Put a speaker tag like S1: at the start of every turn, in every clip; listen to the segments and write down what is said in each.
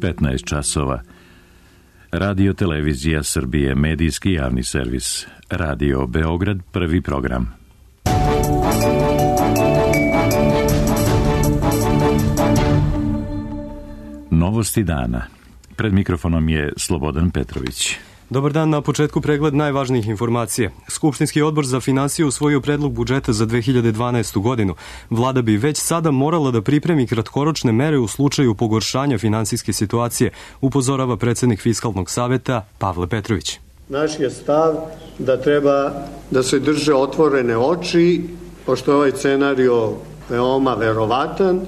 S1: 15 časova. Radio Televizija Srbije, medijski javni servis. Radio Beograd, prvi program. Novosti dana. Pred mikrofonom je Slobodan Petrović.
S2: Dobar dan, na početku pregled najvažnijih informacija. Skupštinski odbor za finansije usvojio predlog budžeta za 2012. godinu. Vlada bi već sada morala da pripremi kratkoročne mere u slučaju pogoršanja finansijske situacije, upozorava predsednik Fiskalnog saveta Pavle Petrović.
S3: Naš je stav da treba da se drže otvorene oči, pošto je ovaj scenario veoma verovatan.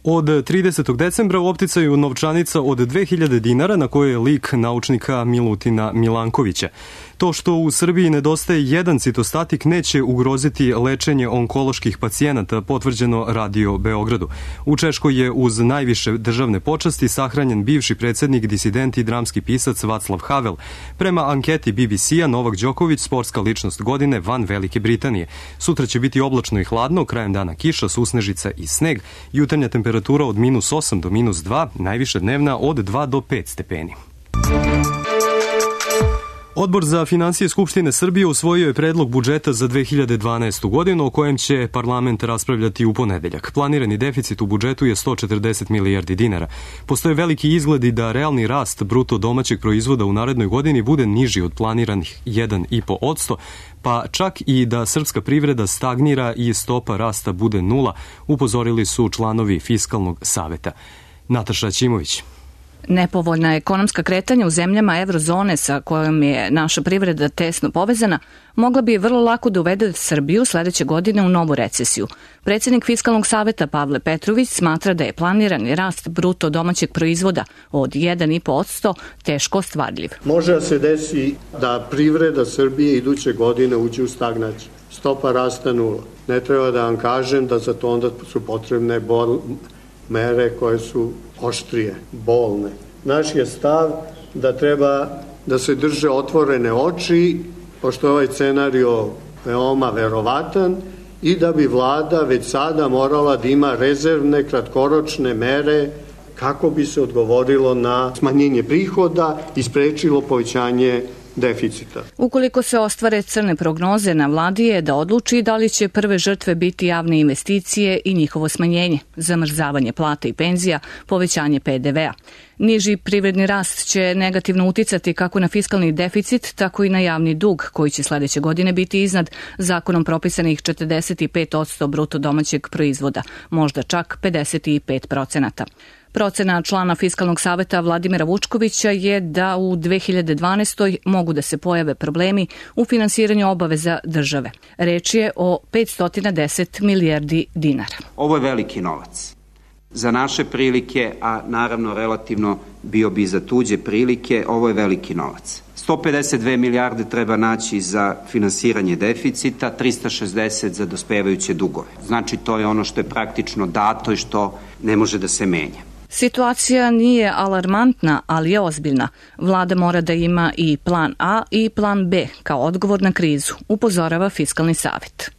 S2: Od 30. decembra u opticaju novčanica od 2000 dinara na kojoj je lik naučnika Milutina Milankovića. To što u Srbiji nedostaje jedan citostatik neće ugroziti lečenje onkoloških pacijenata, potvrđeno Radio Beogradu. U Češkoj je uz najviše državne počasti sahranjen bivši predsednik, disident i dramski pisac Václav Havel. Prema anketi BBC-a, Novak Đoković, sportska ličnost godine van Velike Britanije. Sutra će biti oblačno i hladno, krajem dana kiša, susnežica i sneg, jutarnja temperatura od -8 do -2, najviše dnevna od 2 do 5 stepeni. Odbor za finansije Skupštine Srbije usvojio je predlog budžeta za 2012. godinu o kojem će parlament raspravljati u ponedeljak. Planirani deficit u budžetu je 140 milijardi dinara. Postoje veliki izgledi da realni rast bruto domaćeg proizvoda u narednoj godini bude niži od planiranih 1,5%, pa čak i da srpska privreda stagnira i stopa rasta bude 0, upozorili su članovi Fiskalnog saveta. Nataša Ćimović.
S4: Nepovoljna ekonomska kretanja u zemljama eurozone sa kojom je naša privreda tesno povezana mogla bi vrlo lako da uvede Srbiju sledeće godine u novu recesiju. Predsednik Fiskalnog saveta Pavle Petrović smatra da je planirani rast bruto domaćeg proizvoda od 1,5% teško ostvarljiv.
S3: Može da se desi da privreda Srbije iduće godine uđe u stagnaciju. Stopa rasta 0. Ne treba da vam kažem da za to onda su potrebne mere koje su oštrije, bolne. Naš je stav da treba da se drže otvorene oči, pošto je ovaj scenario veoma verovatan, i da bi vlada već sada morala da ima rezervne kratkoročne mere kako bi se odgovorilo na smanjenje prihoda i sprečilo povećanje deficita.
S4: Ukoliko se ostvare crne prognoze, na vladi je da odluči da li će prve žrtve biti javne investicije i njihovo smanjenje, zamrzavanje plata i penzija, povećanje PDV-a. Niži privredni rast će negativno uticati kako na fiskalni deficit, tako i na javni dug, koji će sledeće godine biti iznad zakonom propisanih 45% bruto domaćeg proizvoda, možda čak 55%. Procena člana Fiskalnog saveta Vladimira Vučkovića je da u 2012. mogu da se pojave problemi u finansiranju obaveza države. Reč je o 510 milijardi dinara.
S5: Ovo je veliki novac. Za naše prilike, a naravno relativno bio bi za tuđe prilike, ovo je veliki novac. 152 milijarde treba naći za finansiranje deficita, 360 za dospevajuće dugove. Znači, to je ono što je praktično dato i što ne može da se menja.
S4: Situacija nije alarmantna, ali je ozbiljna. Vlada mora da ima i plan A i plan B kao odgovor na krizu, upozorava Fiskalni savet.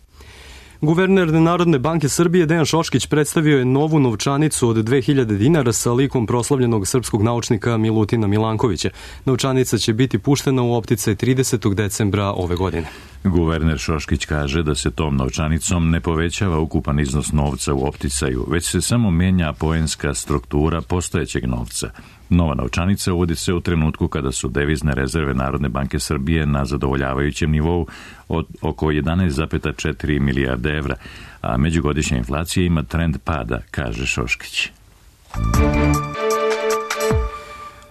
S2: Guverner Narodne banke Srbije Dejan Šoškić predstavio je novu novčanicu od 2000 dinara sa likom proslavljenog srpskog naučnika Milutina Milankovića. Novčanica će biti puštena u opticaj 30. decembra ove godine.
S1: Guverner Šoškić kaže da se tom novčanicom ne povećava ukupan iznos novca u opticaju, već se samo menja poenska struktura postojećeg novca. Nova novčanica uvodi se u trenutku kada su devizne rezerve Narodne banke Srbije na zadovoljavajućem nivou od oko 11,4 milijarde evra, a međugodišnja inflacija ima trend pada, kaže Šoškić.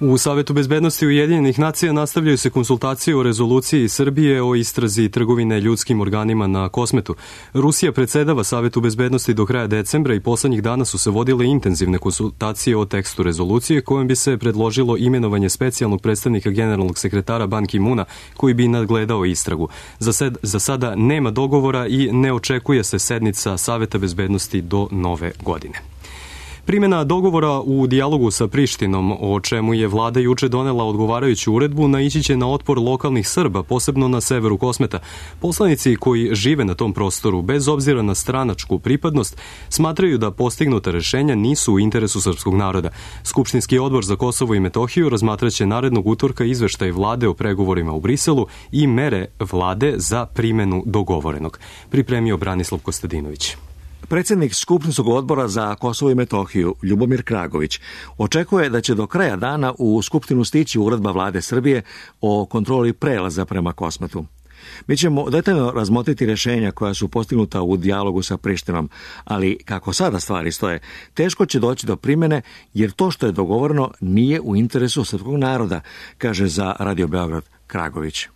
S2: U Savetu bezbednosti Ujedinjenih nacija nastavljaju se konsultacije o rezoluciji Srbije o istrazi trgovine ljudskim organima na Kosmetu. Rusija predsedava Savetu bezbednosti do kraja decembra i poslednjih dana su se vodile intenzivne konsultacije o tekstu rezolucije kojom bi se predložilo imenovanje specijalnog predstavnika generalnog sekretara Ban Ki-muna koji bi nadgledao istragu. Za sada nema dogovora i ne očekuje se sednica Saveta bezbednosti do nove godine. Primjena dogovora u dijalogu sa Prištinom, o čemu je vlada juče donela odgovarajuću uredbu, naići će na otpor lokalnih Srba, posebno na severu Kosmeta. Poslanici koji žive na tom prostoru, bez obzira na stranačku pripadnost, smatraju da postignuta rešenja nisu u interesu srpskog naroda. Skupštinski odbor za Kosovo i Metohiju razmatraće narednog utorka izveštaj vlade o pregovorima u Briselu i mere vlade za primjenu dogovorenog. Pripremio Branislav Kostadinović.
S6: Predsjednik Skupštinskog odbora za Kosovo i Metohiju, Ljubomir Kragović, očekuje da će do kraja dana u Skupštinu stići uredba vlade Srbije o kontroli prelaza prema Kosmetu. Mi ćemo detaljno razmotriti rješenja koja su postignuta u dijalogu sa Prištinom, ali kako sada stvari stoje, teško će doći do primjene jer to što je dogovoreno nije u interesu srpskog naroda, kaže za Radio Beograd Kragović.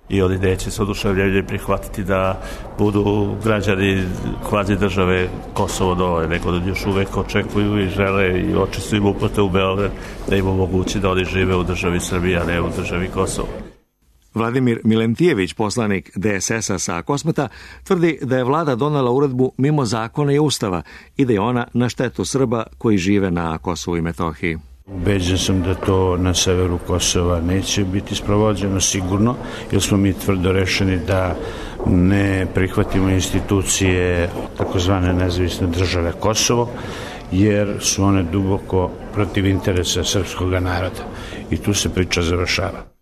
S7: I ovdje neće se oduševljenje prihvatiti da budu građani kvazi države Kosovo dole, nego da još uvek očekuju i žele i oči su im uprte u Beograd da im omogući da oni žive u državi Srbije, a ne u državi Kosovo.
S6: Vladimir Milentijević, poslanik DSS-a sa Kosmeta, tvrdi da je vlada donela uredbu mimo zakona i ustava i da je ona na štetu Srba koji žive na Kosovu i Metohiji.
S7: Ubeđen sam da to na severu Kosova neće biti sprovođeno sigurno, jer smo mi tvrdo rešeni da ne prihvatimo institucije takozvane nezavisne države Kosovo, jer su one duboko protiv interesa srpskog naroda. I tu se priča završava.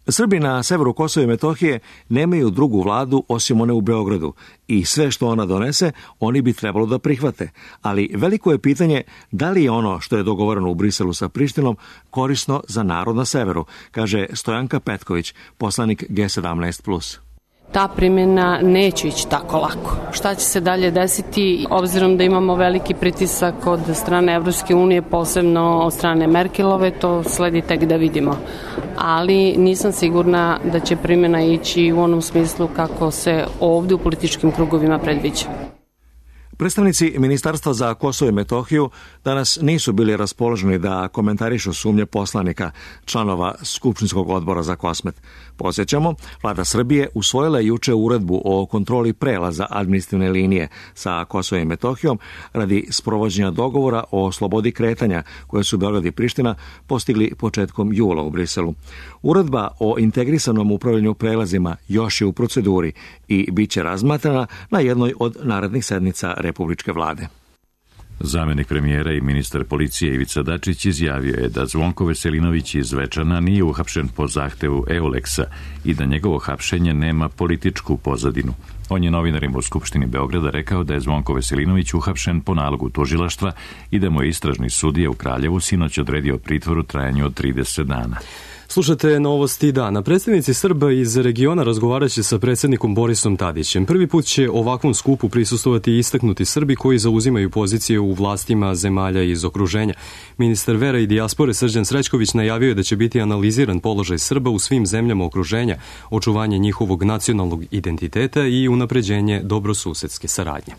S6: Srbi na severu Kosova i Metohije nemaju drugu vladu osim one u Beogradu i sve što ona donese, oni bi trebalo da prihvate. Ali veliko je pitanje da li je ono što je dogovoreno u Briselu sa Prištinom korisno za narod na severu, kaže Stojanka Petković, poslanik G17+.
S8: Ta primjena neće ići tako lako. Šta će se dalje desiti, obzirom da imamo veliki pritisak od strane Evropske unije, posebno od strane Merkelove, to sledi tek da vidimo. Ali nisam sigurna da će primjena ići u onom smislu kako se ovdje u političkim krugovima predviđa.
S6: Predstavnici Ministarstva za Kosovo i Metohiju danas nisu bili raspoloženi da komentarišu sumnje poslanika, članova Skupštinskog odbora za Kosmet. Podsjećamo, vlada Srbije usvojila je juče uredbu o kontroli prelaza administrativne linije sa Kosovom i Metohijom radi sprovođenja dogovora o slobodi kretanja koje su Beograd i Priština postigli početkom jula u Briselu. Uredba o integrisanom upravljanju prelazima još je u proceduri i bit će razmatrana na jednoj od narednih sednica Republičke vlade.
S1: Zamjenik premijera i ministar policije Ivica Dačić izjavio je da Zvonko Veselinović iz Zvečana nije uhapšen po zahtevu Euleksa i da njegovo hapšenje nema političku pozadinu. On je novinarima u Skupštini Beograda rekao da je Zvonko Veselinović uhapšen po nalogu tužilaštva i da mu je istražni sudija u Kraljevu sinoć odredio pritvor u trajanju od 30 dana.
S2: Slušate novosti dana. Predstavnici Srba iz regiona razgovarat će sa predsjednikom Borisom Tadićem. Prvi put će ovakvom skupu prisustovati istaknuti Srbi koji zauzimaju pozicije u vlastima zemalja iz okruženja. Ministar vera i dijaspore Srđan Srećković najavio je da će biti analiziran položaj Srba u svim zemljama okruženja, očuvanje njihovog nacionalnog identiteta i unapređenje dobrosusedske saradnje.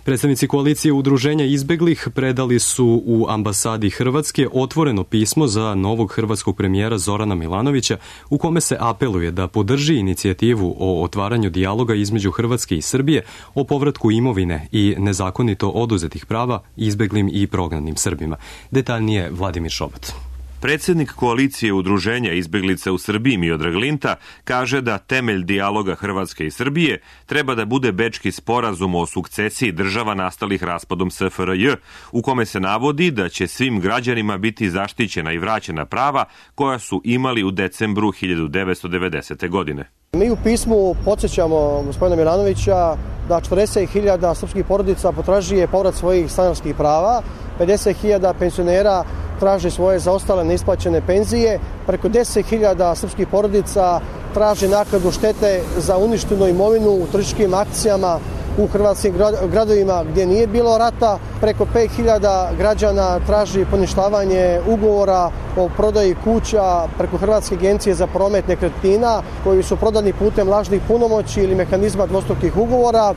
S2: Predstavnici koalicije udruženja izbeglih predali su u ambasadi Hrvatske otvoreno pismo za novog hrvatskog premijera Zorana Milanovića u kome se apeluje da podrži inicijativu o otvaranju dijaloga između Hrvatske i Srbije o povratku imovine i nezakonito oduzetih prava izbeglim i prognanim Srbima. Detaljnije Vladimir Šobat.
S9: Predsjednik koalicije udruženja izbjeglica u Srbiji Miodrag Linta kaže da temelj dijaloga Hrvatske i Srbije treba da bude Bečki sporazum o sukcesiji država nastalih raspadom SFRJ, u kome se navodi da će svim građanima biti zaštićena i vraćena prava koja su imali u decembru 1990. godine.
S10: Mi u pismu podsjećamo gospodina Milanovića da 40.000 srpskih porodica potražuje povrat svojih stanarskih prava, 50.000 penzionera traže svoje zaostale neisplaćene penzije, preko 10.000 srpskih porodica traže naknadu štete za uništenu imovinu u terorističkim akcijama u hrvatskim gradovima gdje nije bilo rata, preko 5.000 građana traži poništavanje ugovora o prodaji kuća preko Hrvatske agencije za promet nekretnina koji su prodani putem lažnih punomoći ili mehanizma dvostrukih ugovora.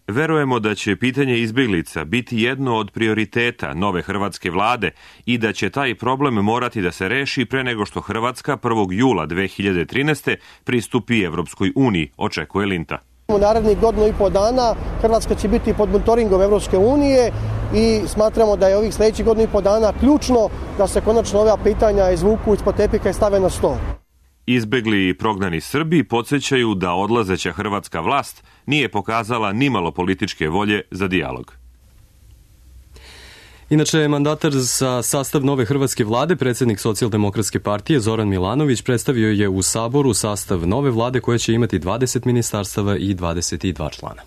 S9: Verujemo da će pitanje izbjeglica biti jedno od prioriteta nove hrvatske vlade i da će taj problem morati da se reši pre nego što Hrvatska 1. jula 2013. pristupi Evropskoj uniji, očekuje Linta.
S10: U narednih godinu i po dana Hrvatska će biti pod monitoringom Evropske unije i smatramo da je ovih sljedećih godinu i po dana ključno da se konačno ova pitanja izvuku ispod tepika i stave na stol.
S9: Izbegli i prognani Srbi podsjećaju da odlazeća hrvatska vlast nije pokazala nimalo političke volje za dijalog.
S2: Inače, mandatar za sastav nove hrvatske vlade, predsjednik Socijaldemokratske partije Zoran Milanović, predstavio je u Saboru sastav nove vlade koja će imati 20 ministarstava i 22 člana.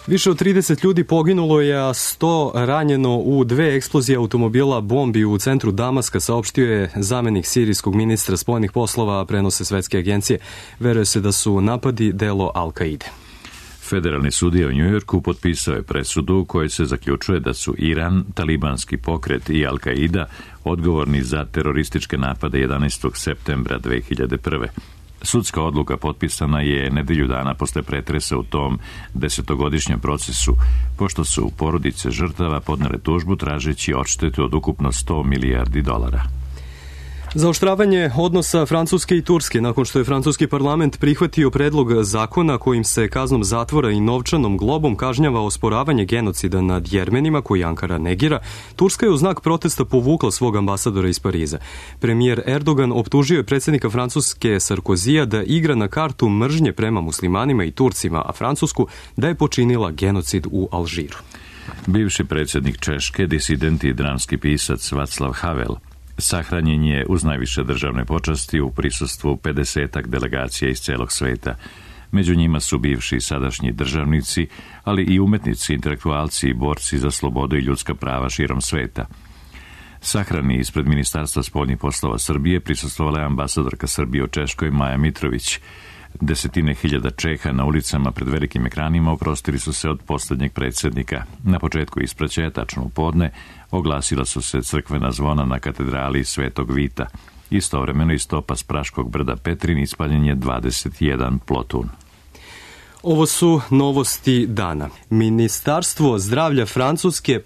S2: Više od 30 ljudi poginulo je, a 100 ranjeno u 2 eksplozije automobila bombi u centru Damaska, saopštio je zamenik sirijskog ministra spoljnih poslova, prenose svetske agencije. Veruje se da su napadi delo Al-Kaide.
S1: Federalni sudija u Njujorku potpisao je presudu u kojoj se zaključuje da su Iran, talibanski pokret i Al-Kaida odgovorni za terorističke napade 11. septembra 2001. Sudska odluka potpisana je nedelju dana posle pretresa u tom 10-godišnjem procesu, pošto su porodice žrtava podnele tužbu tražeći odštetu od ukupno $100 milijardi.
S2: Zaoštravanje odnosa Francuske i Turske nakon što je francuski parlament prihvatio predlog zakona kojim se kaznom zatvora i novčanom globom kažnjava osporavanje genocida nad Jermenima koji Ankara negira, Turska je u znak protesta povukla svog ambasadora iz Pariza. Premijer Erdogan optužio je predsjednika Francuske Sarkozija da igra na kartu mržnje prema muslimanima i Turcima, a Francusku da je počinila genocid u Alžiru.
S1: Bivši predsjednik Češke, disident i dramski pisac Václav Havel, sahranjen je uz najviše državne počasti u prisustvu 50-ak delegacija iz celog sveta. Među njima su bivši i sadašnji državnici, ali i umetnici, intelektualci i borci za slobodu i ljudska prava širom sveta. Sahrani ispred Ministarstva spoljnih poslova Srbije prisustvovala je ambasadorka Srbije u Češkoj Maja Mitrović. Desetine hiljada Čeha na ulicama pred velikim ekranima oprostili su se od posljednjeg predsjednika. Na početku ispraćaja, tačno u podne, oglasila su se crkvena zvona na katedrali Svetog Vita. Istovremeno iz topa s Praškog brda Petrin ispaljen je 21 plotun.
S2: Ovo su novosti dana. Ministarstvo zdravlja Francuske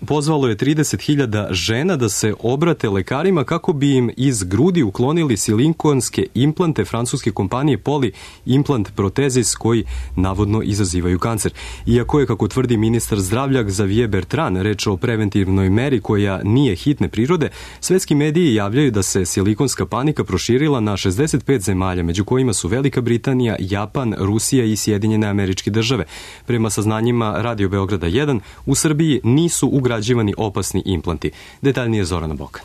S2: pozvalo je 30.000 žena da se obrate lekarima kako bi im iz grudi uklonili silikonske implante francuske kompanije Poli Implant Protezis koji navodno izazivaju kancer. Iako je, kako tvrdi ministar zdravlja Xavier Bertrand, reč o preventivnoj meri koja nije hitne prirode, svetski mediji javljaju da se silikonska panika proširila na 65 zemalja, među kojima su Velika Britanija, Japan, Rusija i Sjedinjene Američke Države. Prema saznanjima Radio Beograda 1, u Srbiji nisu ugrađivani opasni implanti. Detaljnije Zorana Bokan.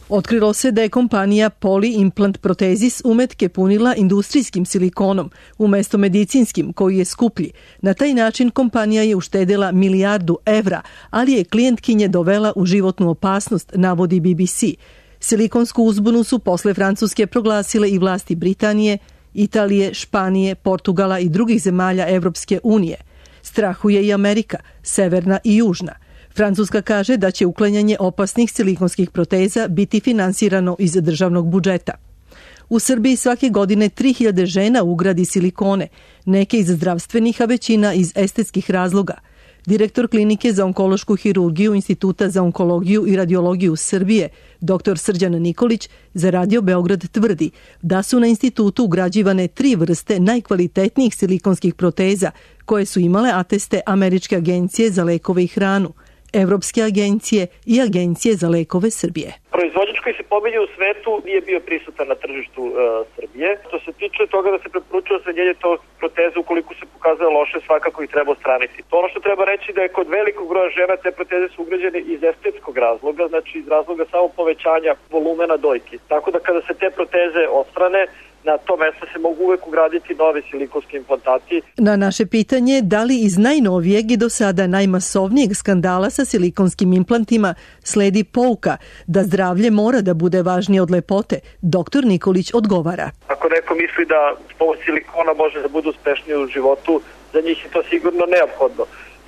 S11: Otkrilo se da je kompanija Poli Implant Protezis umetke punila industrijskim silikonom umjesto medicinskim koji je skuplji. Na taj način kompanija je uštedela $1 milijardu, ali je klijentkinje dovela u životnu opasnost, navodi BBC. Silikonsku uzbunu su posle Francuske proglasile i vlasti Britanije, Italije, Španije, Portugala i drugih zemalja Evropske unije. Strahuje i Amerika, severna i južna. Francuska kaže da će uklanjanje opasnih silikonskih proteza biti finansirano iz državnog budžeta. U Srbiji svake godine 3.000 žena ugradi silikone, neke iz zdravstvenih, a većina iz estetskih razloga. Direktor klinike za onkološku hirurgiju Instituta za onkologiju i radiologiju Srbije, dr. Srđan Nikolić, za Radio Beograd tvrdi da su na institutu ugrađivane 3 vrste najkvalitetnijih silikonskih proteza koje su imale ateste Američke agencije za lekove i hranu, Evropske agencije i Agencije za lekove Srbije.
S12: Proizvođač koji se pominje u svetu nije bio prisutan na tržištu Srbije. Što se tiče toga da se preporučuje smanjenje tog proteza ukoliko se pokazuje loše, svakako ih treba odstraniti. To ono što treba reći da je kod velikog broja žena te proteze su ugrađene iz estetskog razloga, znači iz razloga samo povećanja volumena dojki. Tako da kada se te proteze odstrane, na to mesto se mogu uvek ugraditi novi silikonski implantati.
S11: Na naše pitanje da li iz najnovijeg i do sada najmasovnijeg skandala sa silikonskim implantima sledi pouka da zdravlje mora da bude važnije od lepote, dr. Nikolić odgovara.
S12: Ako neko misli da pomoć silikona može da bude uspešnije u životu, za njih je to sigurno neophodno.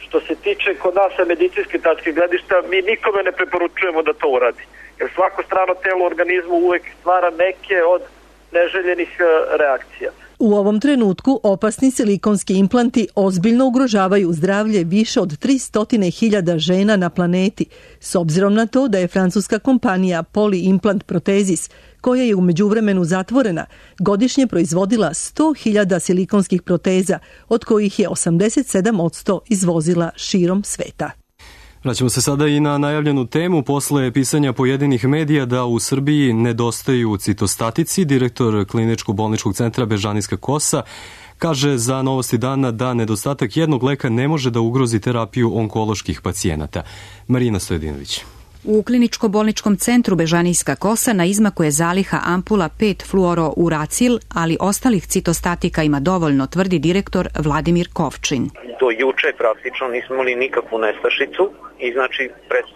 S12: Što se tiče kod nas sa medicinske tačke gledišta, mi nikome ne preporučujemo da to uradi. Jer svako strano telo u organizmu uvek stvara neke od neželjenih reakcija.
S11: U ovom trenutku opasni silikonski implanti ozbiljno ugrožavaju zdravlje više od 300.000 žena na planeti, s obzirom na to da je francuska kompanija Poli Implant Protezis, koja je u međuvremenu zatvorena, godišnje proizvodila 100.000 silikonskih proteza, od kojih je 87% izvozila širom sveta.
S2: Vraćamo se sada i na najavljenu temu. Posle pisanja pojedinih medija da u Srbiji nedostaju citostatici, direktor Kliničko-bolničkog centra Bežanijska Kosa kaže za Novosti dana da nedostatak jednog leka ne može da ugrozi terapiju onkoloških pacijenata. Marina Stojedinović.
S13: U Kliničko-bolničkom centru Bežanijska Kosa na izmaku je zaliha ampula 5-fluorouracil, ali ostalih citostatika ima dovoljno, tvrdi direktor Vladimir Kovčin.
S14: Do juče praktično nismo imali nikakvu nestašicu i znači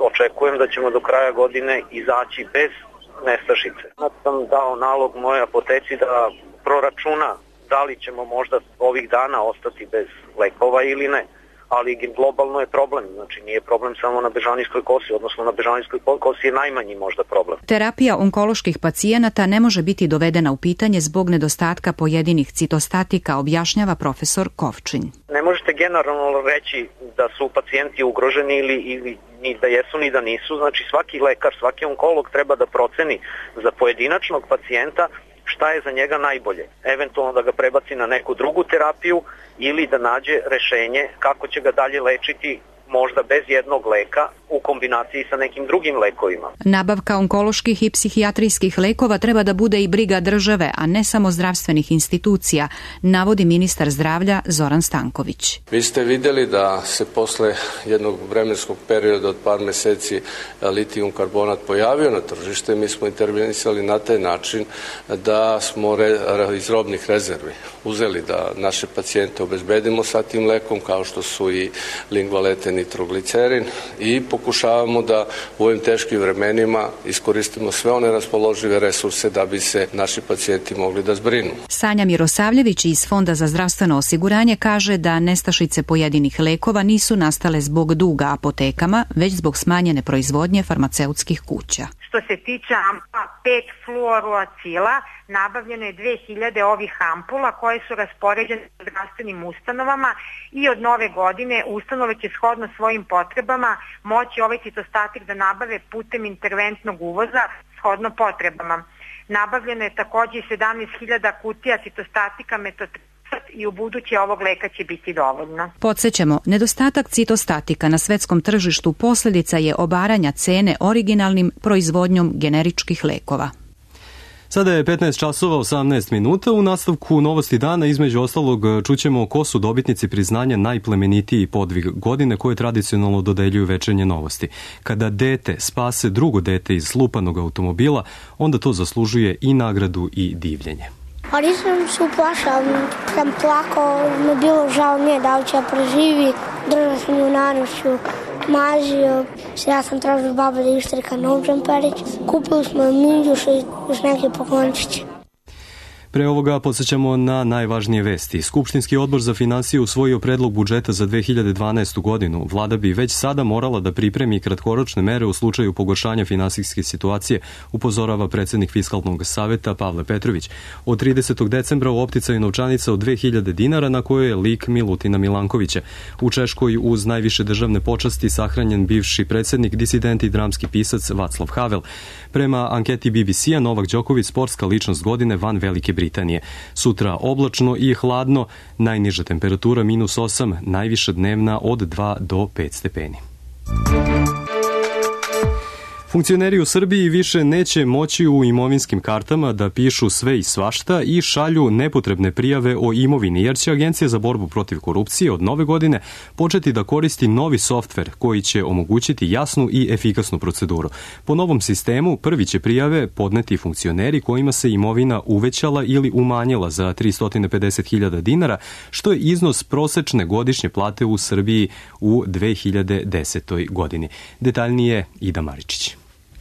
S14: očekujem da ćemo do kraja godine izaći bez nestašice. Sad sam dao nalog moje apoteci da proračuna da li ćemo možda ovih dana ostati bez lekova ili ne. Ali globalno je problem, znači nije problem samo na Bežanijskoj Kosi, odnosno na Bežanijskoj Kosi je najmanji možda problem.
S13: Terapija onkoloških pacijenata ne može biti dovedena u pitanje zbog nedostatka pojedinih citostatika, objašnjava profesor Kovčin.
S14: Ne možete generalno reći da su pacijenti ugroženi ili ni da jesu ni da nisu, znači svaki lekar, svaki onkolog treba da proceni za pojedinačnog pacijenta šta je za njega najbolje. Eventualno da ga prebaci na neku drugu terapiju ili da nađe rešenje kako će ga dalje lečiti, možda bez jednog leka u kombinaciji sa nekim drugim lekovima.
S13: Nabavka onkoloških i psihijatrijskih lekova treba da bude i briga države, a ne samo zdravstvenih institucija, navodi ministar zdravlja Zoran Stanković.
S15: Vi ste vidjeli da se posle jednog vremenskog perioda od par meseci litijum karbonat pojavio na tržište. Mi smo intervenisali na taj način da smo iz robnih rezervi uzeli da naše pacijente obezbedimo sa tim lekom, kao što su i lingvalete, nitroglicerin, i pokušavamo da u ovim teškim vremenima iskoristimo sve one raspoložive resurse da bi se naši pacijenti mogli da zbrinu.
S13: Sanja Mirosavljević iz Fonda za zdravstveno osiguranje kaže da nestašice pojedinih lekova nisu nastale zbog duga apotekama, već zbog smanjene proizvodnje farmaceutskih kuća.
S16: Što se tiče ampula 5-fluorouracila, nabavljeno je 2000 ovih ampula koje su raspoređene u zdravstvenim ustanovama i od nove godine ustanove će shodno svojim potrebama moći ovaj citostatik da nabave putem interventnog uvoza shodno potrebama. Nabavljeno je također 17.000 kutija citostatika metotrexat i u buduće ovog leka će biti dovoljno.
S13: Podsjećamo, nedostatak citostatika na svetskom tržištu posljedica je obaranja cene originalnim proizvodnjom generičkih lekova.
S2: Sada je 15 časova 18 minuta. U nastavku Novosti dana između ostalog čućemo ko su dobitnici priznanja najplemenitiji podvig godine koje tradicionalno dodeljuju Večernje novosti. Kada dete spase drugo dete iz slupanog automobila, onda to zaslužuje i nagradu i divljenje.
S17: Ali sam se uplašao, sam plakao, mi bilo žao nije da li će preživi, držao sam ju na noću, mazio, ja sam tražio baba da ištrika nov džemperić, kupili smo minđuš i još neke poklončiće.
S2: Pre ovoga podsjećamo na najvažnije vesti. Skupštinski odbor za finansije usvojio predlog budžeta za 2012. godinu. Vlada bi već sada morala da pripremi kratkoročne mere u slučaju pogoršanja finansijske situacije, upozorava predsjednik Fiskalnog saveta Pavle Petrović. Od 30. decembra u opticaju novčanica od 2000 dinara na kojoj je lik Milutina Milankovića. U Češkoj uz najviše državne počasti sahranjen bivši predsjednik, disident i dramski pisac Vaclav Havel. Prema anketi BBC-a Novak Đoković sportska ličnost godine van Velike Britanije. Sutra oblačno i hladno, najniža temperatura -8, najviša dnevna od 2 do 5 stepeni. Funkcioneri u Srbiji više neće moći u imovinskim kartama da pišu sve i svašta i šalju nepotrebne prijave o imovini, jer će Agencija za borbu protiv korupcije od nove godine početi da koristi novi softver koji će omogućiti jasnu i efikasnu proceduru. Po novom sistemu prvi će prijave podneti funkcioneri kojima se imovina uvećala ili umanjila za 350.000 dinara, što je iznos prosečne godišnje plate u Srbiji u 2010. godini. Detaljnije Ida Maričić.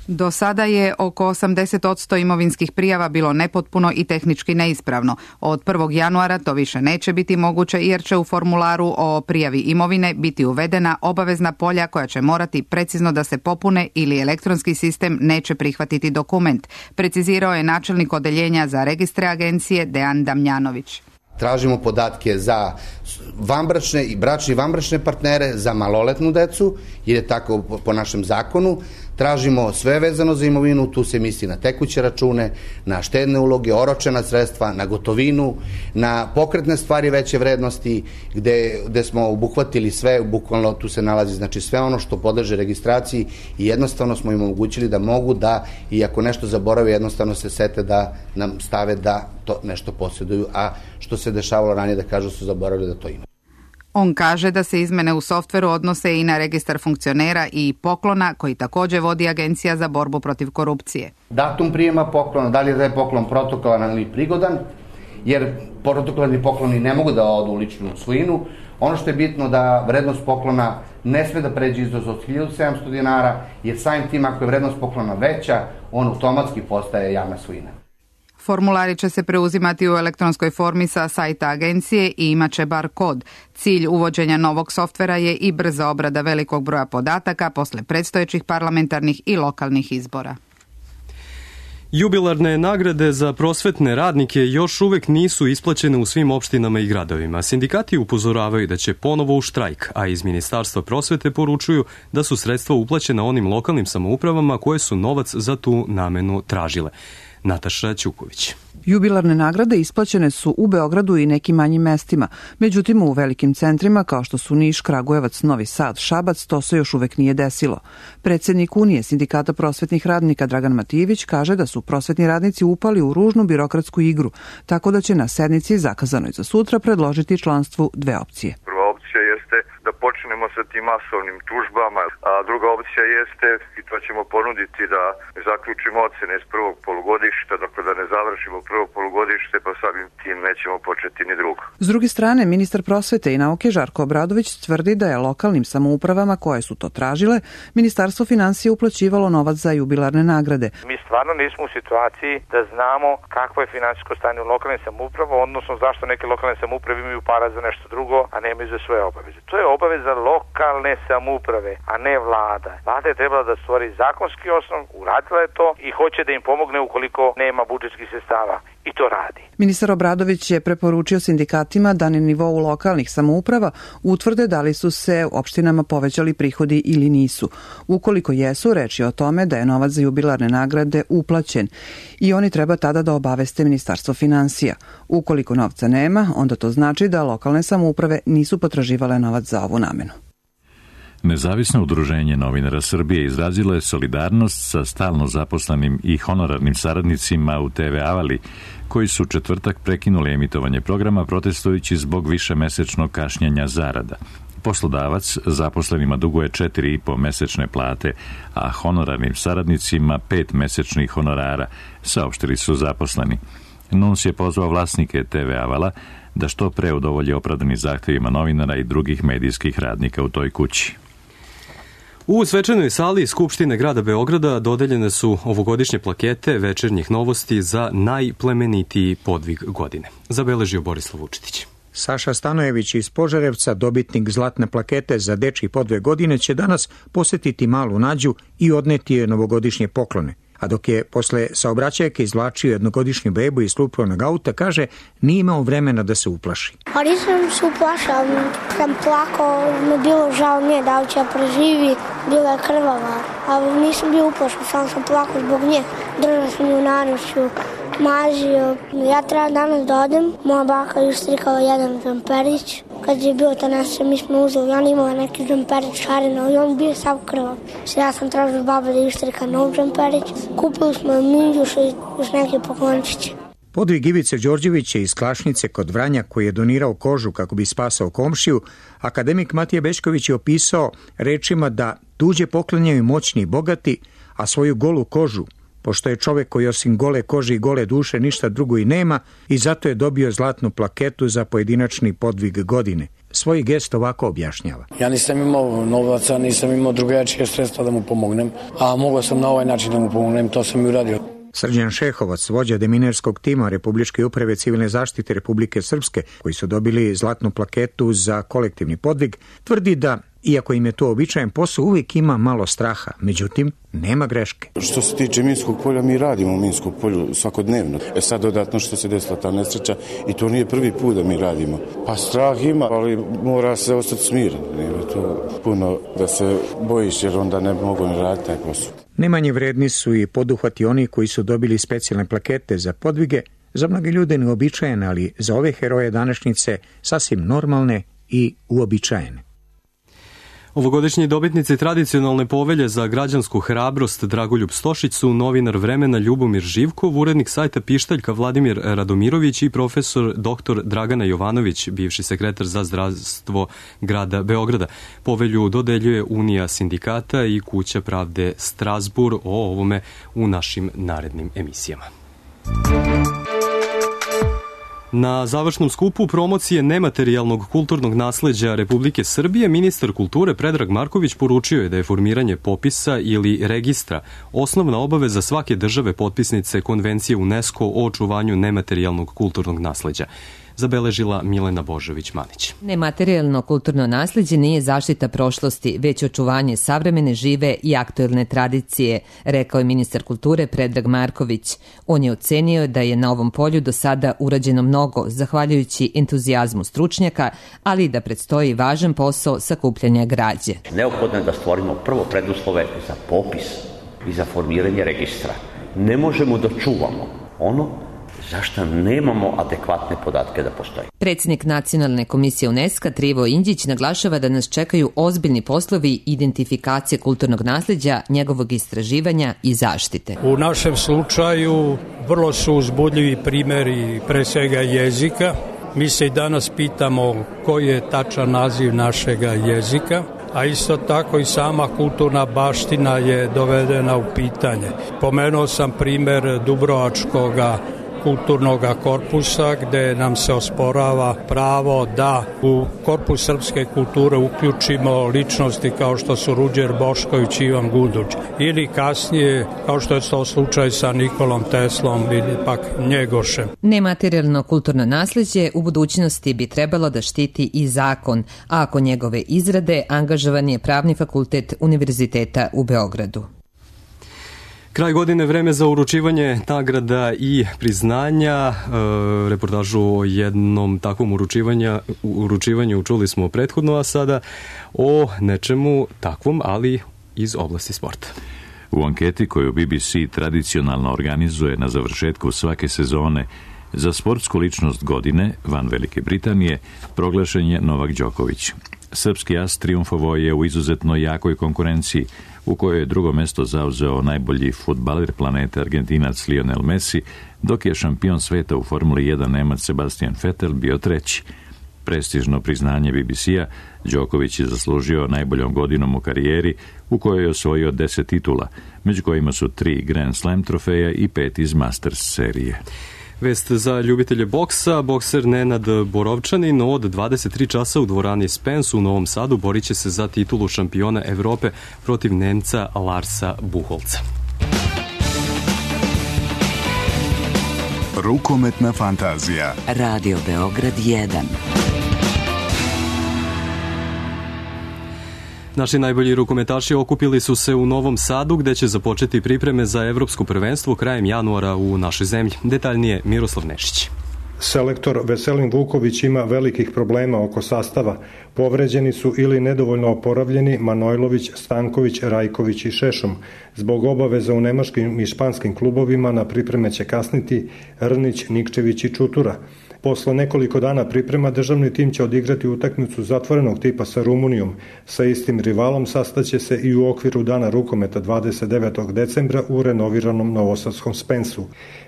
S18: Do sada je oko 80% imovinskih prijava bilo nepotpuno i tehnički neispravno. Od 1. januara to više neće biti moguće jer će u formularu o prijavi imovine biti uvedena obavezna polja koja će morati precizno da se popune ili elektronski sistem neće prihvatiti dokument, precizirao je načelnik odeljenja za registre agencije Dejan Damjanović.
S19: Tražimo podatke za vanbračne i bračne i vanbračne partnere, za maloletnu decu, jer je tako po našem zakonu. tražimo sve vezano za imovinu, tu se misli na tekuće račune, na štedne uloge, oročena sredstva, na gotovinu, na pokretne stvari veće vrednosti, gde smo obuhvatili sve, bukvalno tu se nalazi znači sve ono što podleže registraciji i jednostavno smo im omogućili da mogu da, i ako nešto zaborave, jednostavno se sete da nam stave da to nešto posjeduju, a što se dešavalo ranije da kažu su zaboravili da to ima.
S18: On kaže da se izmene u softveru odnose i na registar funkcionera i poklona koji također vodi Agencija za borbu protiv korupcije.
S19: Datum prijema poklona, da li je taj poklon protokolan ili prigodan, jer protokolarni pokloni ne mogu da odu u ličnu svojinu. Ono što je bitno da vrednost poklona ne sme da pređe iznos od 1700 dinara, jer samim tim ako je vrednost poklona veća, on automatski postaje javna svojina.
S18: Formulari će se preuzimati u elektronskoj formi sa sajta agencije i imaće bar kod. Cilj uvođenja novog softvera je i brza obrada velikog broja podataka posle predstojećih parlamentarnih i lokalnih izbora.
S2: Jubilarne nagrade za prosvetne radnike još uvek nisu isplaćene u svim opštinama i gradovima. Sindikati upozoravaju da će ponovo u štrajk, a iz Ministarstva prosvete poručuju da su sredstva uplaćena onim lokalnim samoupravama koje su novac za tu namenu tražile. Nataša Ćuković.
S20: Jubilarne nagrade isplaćene su u Beogradu i nekim manjim mestima. Međutim, u velikim centrima kao što su Niš, Kragujevac, Novi Sad, Šabac, to se još uvek nije desilo. Predsjednik Unije sindikata prosvetnih radnika Dragan Matijević kaže da su prosvetni radnici upali u ružnu birokratsku igru, tako da će na sednici zakazanoj za sutra predložiti članstvu dve opcije.
S21: Prva opcija jeste da počnemo sa tim masovnim tužbama, a druga opcija jeste, i to ćemo ponuditi, da zaključimo ocene iz prvog polugodišta, dakle da ne završimo prvo polugodište, pa samim tim nećemo početi ni drugo.
S20: S druge strane, ministar prosvete i nauke Žarko Obradović tvrdi da je lokalnim samoupravama koje su to tražile, Ministarstvo finansija uplaćivalo novac za jubilarne nagrade.
S22: Mi stvarno nismo u situaciji da znamo kakvo je finansijsko stanje u lokalnim samoupravama, odnosno zašto neke lokalne samouprave imaju para za nešto drugo, a nemaju za svoje obaveze. To je obaveza lokalne samouprave, a ne vlada. Vlada je trebala da stvori zakonski osnov, uradila je to i hoće da im pomogne ukoliko nema budžetskih sredstava. I to radi.
S20: Ministar Obradović je preporučio sindikatima da na nivou lokalnih samouprava utvrde da li su se opštinama povećali prihodi ili nisu. Ukoliko jesu, reč je o tome da je novac za jubilarne nagrade uplaćen i oni treba tada da obaveste Ministarstvo finansija. Ukoliko novca nema, onda to znači da lokalne samouprave nisu potraživale novac za ovu namenu.
S1: Nezavisno udruženje novinara Srbije izrazilo je solidarnost sa stalno zaposlenim i honorarnim saradnicima u TV Avali, koji su četvrtak prekinuli emitovanje programa protestujući zbog višemesečnog kašnjenja zarada. Poslodavac zaposlenima duguje 4,5 mesečne plate, a honorarnim saradnicima 5 mesečnih honorara, saopštili su zaposleni. NUNS je pozvao vlasnike TV Avala da što pre udovolje opravdanim zahtevima novinara i drugih medijskih radnika u toj kući.
S2: U svečanoj sali Skupštine grada Beograda dodeljene su ovogodišnje plakete večernjih novosti za najplemenitiji podvig godine. Zabeležio Borislav Vučetić.
S23: Saša Stanojević iz Požarevca, dobitnik zlatne plakete za dečji podvig godine, će danas posetiti Malu Nađu i odneti je novogodišnje poklone. A dok je posle saobraćajke izvlačio jednogodišnju bebu iz slupovanog auta, kaže, nije imao vremena da se uplaši.
S17: Pa nisam se uplašao, sam plakao, me bilo žao nje da li će preživi, bila je krvava, ali nisam bio uplašao, samo sam plakao zbog nje. Držao sam ju na nošću, mazio. Ja treba danas da odem, moja baka je ustrikala jedan džamperić. Kad je bio ta nesreća, mi smo uzeli, on imao neki džamperić šareno i on bio sav krvav. Ja sam tražio baba da ustrika nov džamperić. Kupili smo minđuš i još neke poklončiće.
S23: Podvig Ivice Đorđevića iz Klašnice kod Vranja, koji je donirao kožu kako bi spasao komšiju, akademik Matija Bećković je opisao rečima da tuđe poklanjaju moćni i bogati, a svoju golu kožu, pošto je čovek koji osim gole kože i gole duše ništa drugo i nema, i zato je dobio zlatnu plaketu za pojedinačni podvig godine. Svoj gest ovako objašnjava.
S24: Ja nisam imao novaca, nisam imao drugačije sredstva da mu pomognem, a mogao sam na ovaj način da mu pomognem, to sam i uradio.
S23: Srđan Šehovac, vođa deminerskog tima Republičke uprave civilne zaštite Republike Srpske, koji su dobili zlatnu plaketu za kolektivni podvig, tvrdi da, iako im je to običajen posao, uvijek ima malo straha, međutim, nema greške.
S25: Što se tiče Minskog polja, mi radimo u Minskom polju svakodnevno. Sad dodatno što se desila ta nesreća i to nije prvi put da mi radimo. Pa strah ima, ali mora se ostati smiren. Nema to puno da se bojiš jer onda ne mogu ne raditi taj posao.
S23: Ne manje vredni su i poduhvati oni koji su dobili specijalne plakete za podvige, za mnoge ljude neobičajene, ali za ove heroje današnjice sasvim normalne i uobičajene.
S2: Ovogodišnji dobitnici tradicionalne povelje za građansku hrabrost Dragoljub Stošić su novinar Vremena Ljubomir Živkov, urednik sajta Pištaljka Vladimir Radomirović i profesor dr. Dragana Jovanović, bivši sekretar za zdravstvo grada Beograda. Povelju dodeljuje Unija sindikata i Kuća pravde Strasbourg. O ovome u našim narednim emisijama. Na završnom skupu promocije nematerijalnog kulturnog nasleđa Republike Srbije ministar kulture Predrag Marković poručio je da je formiranje popisa ili registra osnovna obaveza svake države potpisnice Konvencije UNESCO o očuvanju nematerijalnog kulturnog nasleđa. Zabeležila Milena Božović-Manić.
S3: Nematerijalno kulturno nasleđe nije zaštita prošlosti, već očuvanje savremene, žive i aktuelne tradicije, rekao je ministar kulture Predrag Marković. On je ocenio da je na ovom polju do sada urađeno mnogo, zahvaljujući entuzijazmu stručnjaka, ali i da predstoji važan posao sakupljanja građe.
S4: Neophodno je da stvorimo prvo preduslove za popis i za formiranje registra. Ne možemo da čuvamo ono zašto nemamo adekvatne podatke da postoji.
S3: Predsjednik Nacionalne komisije UNESCO Trivo Indjić naglašava da nas čekaju ozbiljni poslovi identifikacije kulturnog nasleđa, njegovog istraživanja i zaštite.
S5: U našem slučaju vrlo su uzbudljivi primjeri pre svega jezika. Mi se i danas pitamo koji je tačan naziv našega jezika, a isto tako i sama kulturna baština je dovedena u pitanje. Pomenuo sam primjer Dubrovačkoga kulturnog korpusa gde nam se osporava pravo da u korpus srpske kulture uključimo ličnosti kao što su Ruđer Bošković i Ivan Gunduć. Ili kasnije, kao što je to slučaj sa Nikolom Teslom ili pak Njegošem.
S3: Nematerijalno kulturno nasleđe u budućnosti bi trebalo da štiti i zakon, a ako njegove izrade angažovan je Pravni fakultet Univerziteta u Beogradu.
S2: Kraj godine, vreme za uručivanje nagrada i priznanja. Reportažu o jednom takvom uručivanju čuli smo prethodno, a sada o nečemu takvom, ali iz oblasti sporta.
S1: U anketi koju BBC tradicionalno organizuje na završetku svake sezone za sportsku ličnost godine van Velike Britanije proglašen je Novak Đoković. Srpski as triumfovao je u izuzetno jakoj konkurenciji u kojoj je drugo mesto zauzeo najbolji fudbaler planete Argentinac Lionel Messi, dok je šampion sveta u Formuli 1 Nemac Sebastian Vettel bio treći. Prestižno priznanje BBC-a, Đoković je zaslužio najboljom godinom u karijeri u kojoj je osvojio 10 titula, među kojima su 3 Grand Slam trofeja i 5 iz Masters serije.
S2: Vest za ljubitelje boksa, bokser Nenad Borovčanin od 23 časa u dvorani Spence u Novom Sadu borit će se za titulu šampiona Evrope protiv Nemca Larsa Buholca.
S7: Rukometna fantazija.
S8: Radio Beograd 1.
S2: Naši najbolji rukometaši okupili su se u Novom Sadu gde će započeti pripreme za evropsko prvenstvo krajem januara u našoj zemlji. Detaljnije Miroslav Nešić.
S26: Selektor Veselin Vuković ima velikih problema oko sastava. Povređeni su ili nedovoljno oporavljeni Manojlović, Stanković, Rajković i Šešom. Zbog obaveza u nemačkim i španskim klubovima na pripreme će kasniti Rnić, Nikčević i Čutura. Posle nekoliko dana priprema državni tim će odigrati utakmicu zatvorenog tipa sa Rumunijom. Sa istim rivalom sastaće se i u okviru dana rukometa 29. decembra u renoviranom novosadskom Spensu.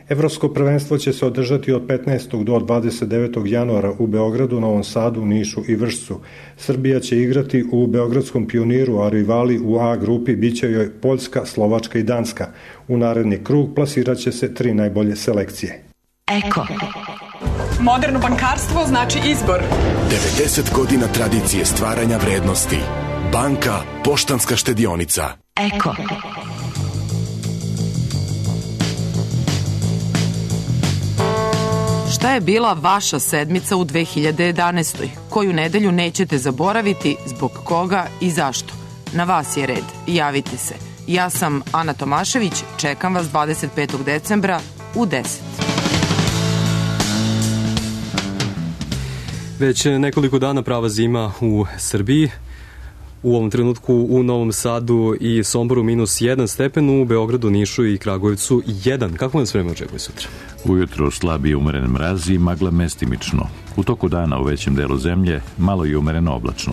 S26: Evropsko prvenstvo će se održati od 15. do 29. januara u Beogradu, Novom Sadu, Nišu i Vršcu. Srbija će igrati u Beogradskom Pioniru, a rivali u A grupi biće joj Poljska, Slovačka i Danska. U naredni krug plasirat će se 3 najbolje selekcije.
S8: Eko.
S27: Moderno bankarstvo znači izbor.
S7: 90 godina tradicije stvaranja vrednosti. Banka Poštanska štedionica.
S8: Eko.
S28: Šta je bila vaša sedmica u 2011. Koju nedelju nećete zaboraviti, zbog koga i zašto? Na vas je red. Javite se. Ja sam Ana Tomašević, čekam vas 25. decembra u 10.
S2: Već nekoliko dana prava zima u Srbiji. U ovom trenutku u Novom Sadu i Somboru -1 stepen, u Beogradu, Nišu i Kragujevcu 1. Kako nas vreme očekuje sutra?
S1: Ujutro slabi i umeren mraz i magla mestimično. U toku dana u većem delu zemlje malo i umereno oblačno.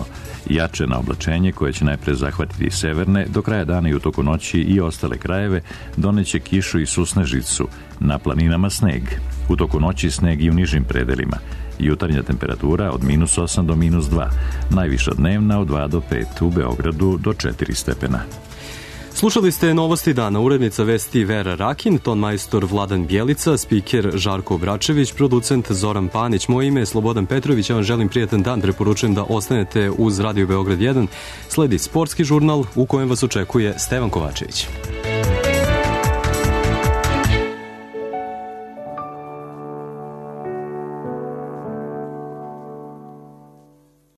S1: Jače na oblačenje koje će najpre zahvatiti severne, do kraja dana i u toku noći i ostale krajeve doneće kišu i susnežicu, na planinama sneg. U toku noći sneg i u nižim predelima. Jutarnja temperatura od -8 do -2, najviša dnevna od 2 do 5, u Beogradu do 4 stepena.
S2: Slušali ste novosti dana, urednica vesti Vera Rakin, ton majstor Vladan Bjelica, spiker Žarko Bračević, producent Zoran Panić. Moje ime je Slobodan Petrović, ja vam želim prijatan dan, preporučujem da ostanete uz Radio Beograd 1. Sledi sportski žurnal u kojem vas očekuje Stevan Kovačević.